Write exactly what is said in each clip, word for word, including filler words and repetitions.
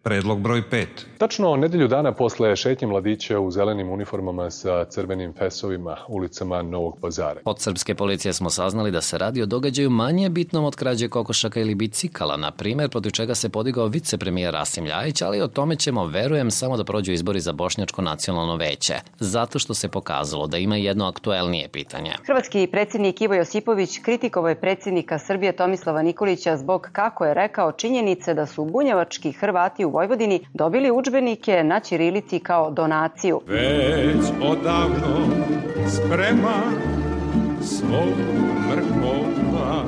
Predlog broj pet. Tačno nedelju dana posle šetnje mladića u zelenim uniformama sa crvenim fesovima ulicama Novog Pazara. Od srpske policije smo saznali da se radi o događaju manje bitnom od krađe kokošaka ili bicikala, na primjer, protiv čega se podigao vicepremijer Rasim Ljajić, ali o tome ćemo, verujem, samo da prođu izbori za Bošnjačko nacionalno veće, zato što se pokazalo da ima jedno aktuelnije pitanje. Hrvatski predsjednik Ivo Josipović kritikovao je predsjednika Srbije Tomislava Nikolića zbog, kako je rekao, činjenice da su bunjevački Hrvati u Vojvodini dobili udžbenike na ćirilici kao donaciju. Već odavno sprema svog mrkova.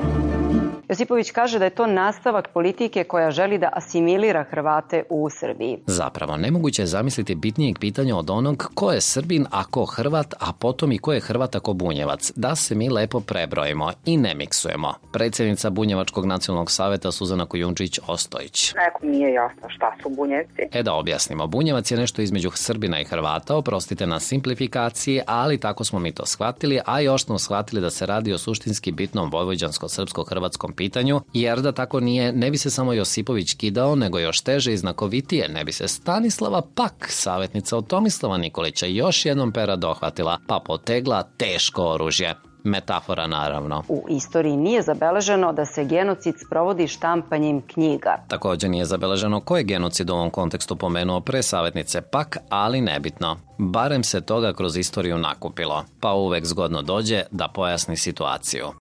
Josipović kaže da je to nastavak politike koja želi da asimilira Hrvate u Srbiji. Zapravo, nemoguće je zamisliti bitnijeg pitanja od onog ko je Srbin, a ko Hrvat, a potom i ko je Hrvat, a ko Bunjevac. Da se mi lepo prebrojimo i ne miksujemo. Predsjednica Bunjevačkog nacionalnog saveta Suzana Kujundžić-Ostojić. Nekom nije jasno šta su Bunjevci. E da objasnimo, Bunjevac je nešto između Srbina i Hrvata, oprostite na simplifikaciji, ali tako smo mi to shvatili, a još smo shvatili da se radi o suštinski bitnom vojvođansko-srpsko-hrvatskom pitanju, jer da tako nije, ne bi se samo Josipović kidao, nego još teže i znakovitije, ne bi se Stanislava Pak, savjetnica od Tomislava Nikolića, još jednom pera dohvatila, pa potegla teško oružje. Metafora, naravno. U istoriji nije zabeleženo da se genocid sprovodi štampanjem knjiga. Također nije zabeleženo ko je genocid u ovom kontekstu pomenuo pre savjetnice Pak, ali nebitno. Barem se toga kroz istoriju nakupilo, pa uvek zgodno dođe da pojasni situaciju.